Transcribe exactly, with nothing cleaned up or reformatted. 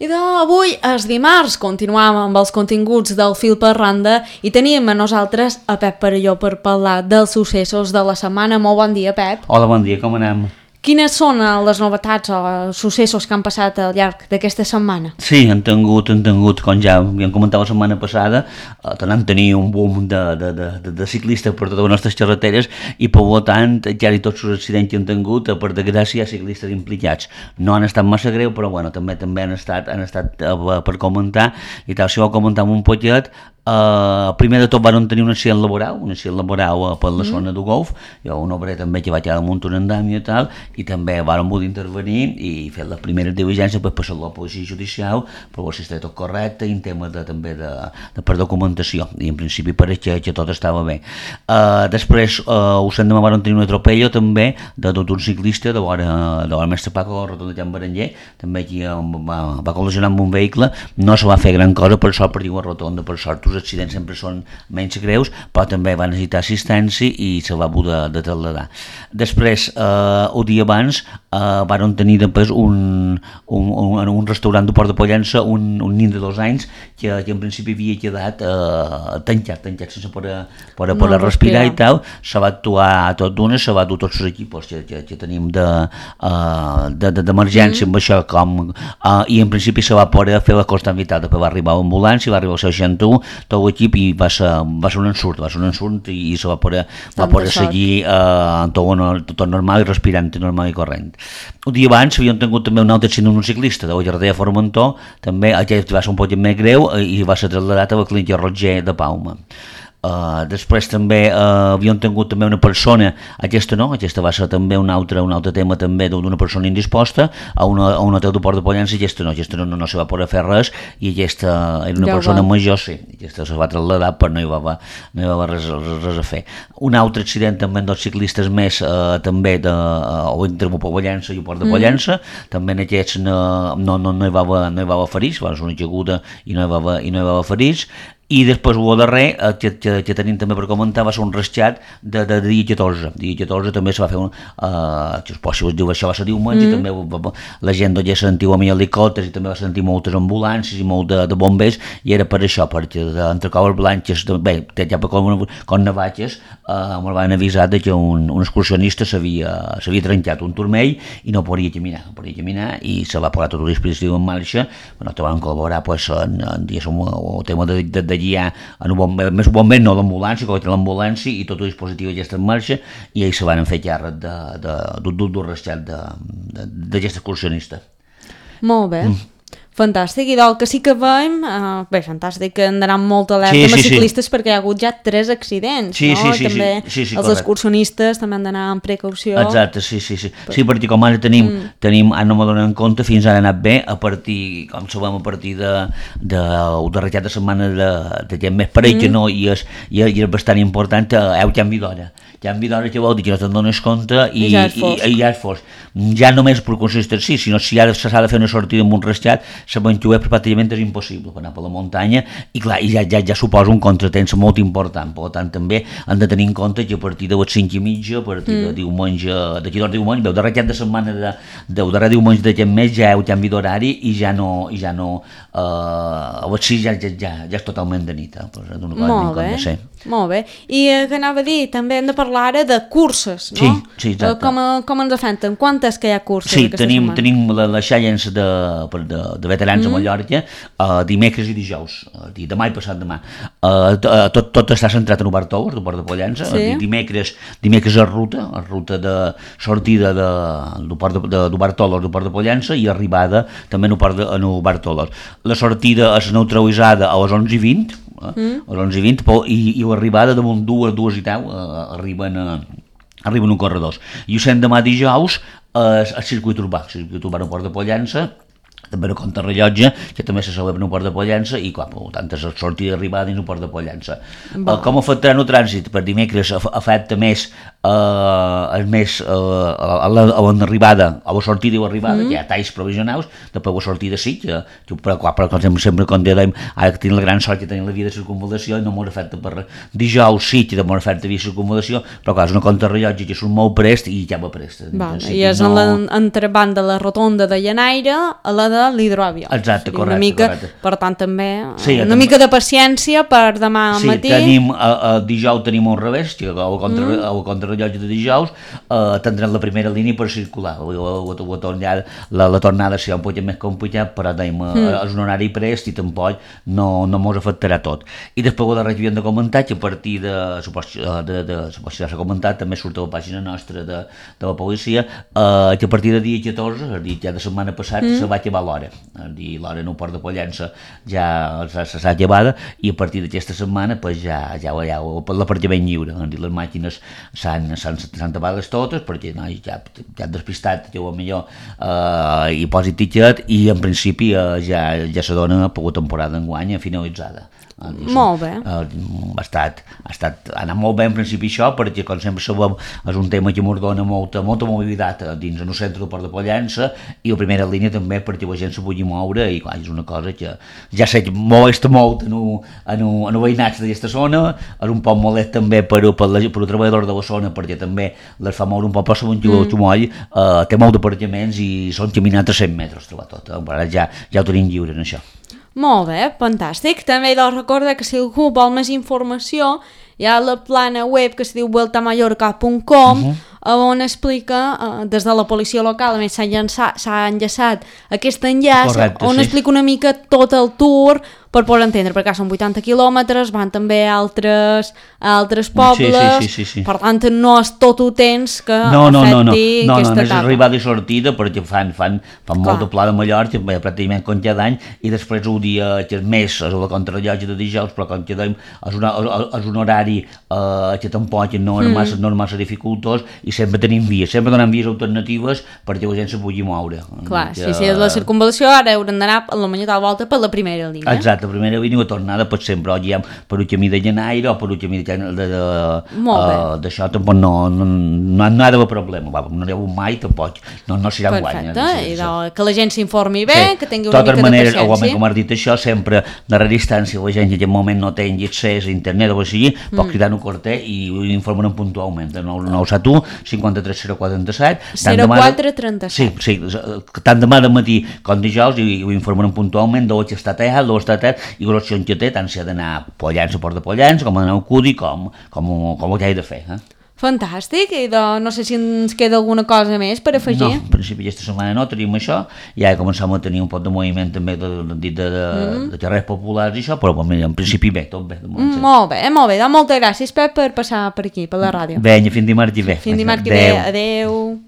I d'avui, és dimarts, continuam amb els continguts del Fil per Randa i tenim a nosaltres a Pep Perelló per parlar dels successos de la setmana. Molt bon dia, Pep. Hola, bon dia, com anem? Quines són les novetats o els successos que han passat al llarg d'aquesta setmana? Sí, han tingut, han tingut, com ja havíem comentat la setmana passada, eh, tornem a tenir un boom de, de, de, de ciclistes per totes les nostres carreteres i, per tant, ja i tots els accidents que han tingut, per desgràcia, hi ha ciclistes implicats. No han estat massa greu, però bueno, també també han estat, han estat uh, per comentar, i tal, si vol comentar un poquet. Uh, primer de tot van tenir un accident laboral, un accident laboral uh, per la mm. zona de golf, hi ha un obrer també que va quedar damunt un andami i tal, i també van poder intervenir i fer les primeres diligències per passar la policia judicial, per veure si estava tot correcte i en tema de, també de, de per documentació, i en principi pareix que, que tot estava bé. Uh, després, uh, us hem demà van tenir un atropello també d'un ciclista de l'hora de l'hora mestre Paco, al rotonda Jan Berenguer, també aquí uh, va, va col·lisionar amb un vehicle, no se va fer gran cosa per sort, perquè la rotonda per sort els accidents sempre són menys greus, però també va necessitar assistència i se va poder de trasladar. Després, eh, un dia abans, eh, van tenir després un, un, un, un restaurant de Port de Pollença, un, un nin de dos anys, que, que en principi havia quedat eh, tancat, tancat sense poder, poder, poder no, respirar i tal. Se va actuar tot d'una, se va dur tots els equips que, que, que tenim d'emergència de, de, amb això, com, eh, i en principi se va poder fer la constant vital. Després va arribar l'ambulància, va arribar el seixanta u, tot l'equip, i va ser, va ser un ensurt, va ser un ensurt i, i se va poder, va poder seguir eh, tot, tot normal i respirant normal i corrent. Un dia abans havíem tingut també un altre accident d'un ciclista de la Jardí de Formentor, també aquest va ser un poc més greu i va ser traslladat a la clínica Roger de Palma. Uh, després també uh, havíem tingut també una persona, aquesta no, aquesta va ser també un altre, un altre tema també d'una persona indisposta a, una, a un hotel de Port de Pollença, i aquesta no, aquesta no, no, no se va poder fer res, i aquesta era una ja persona va. major, sí, aquesta se va trasladar però no hi va, va, no hi va res, res, res a fer. Un altre accident també amb dos ciclistes més, uh, també de, uh, entre Pollença i Port de Pollença, mm. també en aquests no, no, no, no hi va haver, no hi va haver ferits, va ser una caiguda i no hi va haver, i no hi va haver ferits. I després el darrer, eh, que, que, que tenim també per comentar, va ser un rescat de, de, de dia catorze. Dia catorze també se va fer un... Eh, que us si us diu, això va ser diumenge, mm. i també va, la gent ja sentiu amb helicòpters, i també va sentir moltes ambulàncies i molt de, de bombers, i era per això, perquè entre coves blanques, bé, ja per com, com navatges, eh, ens van avisar que un, un excursionista s'havia trencat un turmell i no podia caminar, no podia caminar, i se va posar tot el dispositiu en marxa. Bueno, te van col·laborar pues, en, en, en el tema de, de, de guiar en un bomber, més bomber, no l'ambulància, que l'ambulància i tot el dispositiu ja està en marxa, i ells se van fer càrrec d'un rescat d'aquest excursionista. Molt bé. Mm. Fantàstic, i del que sí que veiem, uh, bé, fantàstic, que han d'anar molt alerta sí, amb els sí, ciclistes, sí. perquè hi ha hagut ja tres accidents, sí, no? Sí, sí, també sí, sí, sí, els correcte. excursionistes també han d'anar amb precaució. Exacte, sí, sí, sí. Sí, perquè com ara tenim, mm. tenim ara no me donen compte, fins ara ha anat bé, a partir, com sabem, a partir de, de, de recat de setmana de, de gent més parell, mm. que no, i és, i és bastant important, heu canvi d'hora. Canvi d'hora que vol dir que no te'n dones compte i, I ja és fos. I, i ja és fos. Ja només per consistir, sí, sinó si ara s'ha de fer una sortida amb un rescat, l'aventura pràcticament és impossible per anar per la muntanya, i clar, i ja, ja, ja suposa un contratemps molt important. Per tant, també han de tenir en compte que a partir de les cinc i mitja, a partir mm. de diumenge, d'aquí dos diumenge, veu, darrer cap de setmana de, de darrer diumenge d'aquest mes ja heu canvi d'horari i ja no, i ja no, eh, a les sis ja, ja, ja, ja és totalment de nit. Eh? Pues, molt bé, molt bé. I eh, que anava a dir, també hem de parlar ara de curses, no? Sí, sí, exacte. Com, com ens afecten? Quantes que hi ha curses sí, aquesta tenim, setmana? tenim la, la Challenge de, de, de veterans mm. a Mallorca, uh, dimecres i dijous, uh, demà i passat demà. Uh, tot, tot està centrat en Obertolers, de Port de Pollença. Sí. Uh, dimecres, dimecres és ruta, és ruta de sortida d'Obertolers, de, de Port de Pollença, i arribada també en Obertolers. La sortida és neutralitzada a les onze i vint, mm. a les onze i vint, i, i l'arribada damunt dues, dues i deu, uh, arriben a... arriben un corredors. I ho sent demà dijous al eh, circuit urbà, el circuit urbà a Port de Pollença, també no compta rellotge, que també se celebra en Port de Pollença, i clar, per tant, és sortida i arribada dins el Port de Pollença. Uh, com afectarà el trànsit? Per dimecres afecta més uh, el més uh, a l'arribada, a la sortida i l'arribada, mm. que hi ha talls provisionals, després la sortida sí, que, que però, clar, però com sempre, com dèiem, ara que tenim la gran sort que tenim la via de circunvalació i no m'ho afecta per res. Dijous sí que m'ho afecta via circunvalació, però clar, és una compta rellotge que surt molt prest i ja va prest. Va, i és no... en l'entrebant de la rotonda de Llanaire a la de de l'hidroavió. Exacte, sí, correcte, una mica, correcte. Per tant, també Sí, una també. mica de paciència per demà al sí, matí. tenim, a, a dijous tenim un revés, que el contra, mm. el contrarrellotge de dijous eh, tindrem la primera línia per circular. La, la, la, tornada, la, la tornada serà un poc més complicat, però tenim, mm. és un horari prest i tampoc no, no mos afectarà tot. I després la regió de comentar que a partir de, supos, de, de, supos, ja s'ha comentat, també surt a la pàgina nostra de, de la policia, eh, que a partir de dia catorze, és a dir, ja de setmana passada, mm. se va acabar l'hora. És a dir, l'hora en el port de Pollença ja s'ha acabat i a partir d'aquesta setmana pues, ja, ja, ja l'apartament lliure. És a dir, les màquines s'han tapat totes perquè no, ja, ja han despistat, ja ho millor, eh, i posi tiquet i en principi eh, ja, ja se dona per la temporada d'enguany finalitzada. Uh, molt bé. Uh, ha, estat, ha estat ha anat molt bé en principi això, perquè com sempre sabem és un tema que ens dona molta, molta mobilitat dins el centre del Port de Pollença i la primera línia també perquè la gent se pugui moure i clar, és una cosa que ja sé que molesta molt en el veïnatge d'aquesta zona, és un poc molest també per, per, la, per el treballador de la zona perquè també les fa moure un poc, però segons que el Xumoll uh, té molt d'apartaments i són caminats a cent metres trobar tot, eh? Ara ja, ja ho tenim lliure en això. Molt bé, fantàstic. També he de recordar que si algú vol més informació hi ha la plana web que es diu vuelta mallorca punt com, uh-huh. on explica, eh, des de la policia local, a més s'ha enllaçat aquest enllaç, Correcte, on sí. explica una mica tot el tour per poder entendre, perquè són vuitanta quilòmetres, van també a altres, a altres pobles, sí, sí, sí, sí, sí. Per tant no és tot ho temps que no, no, afecti no, no, no, aquesta no, etapa. No, és arribada i sortida perquè fan, fan, fan molt de pla de Mallorca, pràcticament com cada any, i després un dia que és més, és la contrarrellotge de dijous, però com que dèiem, és, una, és un horari eh, que tampoc no és, mm. massa, no és massa dificultós i sempre tenim vies, sempre donem vies alternatives perquè la gent se pugui moure. Clar, que, si és la circunvalació, ara haurem d'anar a la manera de la volta per la primera línia. Exacte, la primera línia, la tornada pot sempre, o guiem per un camí de Llenaire o per un camí de, de, de, uh, d'això tampoc no, no, no, no ha d'haver problema, va, no n'hi ha hagut mai tampoc, no, no serà guany. Perfecte, i de, que la gent s'informi bé, sí. que tingui una Totes mica maneres, de paciència. Com has dit això, sempre de la distància, la gent que en aquest moment no tingui accés a internet o així, mm. pot cridar un corter i ho informen puntualment, de nou set u cinquanta-tres zero quatre trenta-set zero quatre trenta-set Sí, sí, tant demà de matí com dijous i ho informen puntualment d'on està allà, d'on està allà i l'opció que té, tant si ha d'anar a Pollença, a Port de Pollença, com a anar a Cudi, com, com, com ho que he de fer. Eh? Fantàstic, i de, no sé si ens queda alguna cosa més per afegir. No, en principi aquesta setmana no tenim això, ja començam a tenir un pot de moviment també de, de, de, de, mm. de carrers populars i això, però en principi bé, tot bé. Mm, molt bé, molt bé, doncs moltes gràcies Pep per passar per aquí, per la ràdio. Vinga, fins dimarts i bé. Fins dimarts i bé, adeu.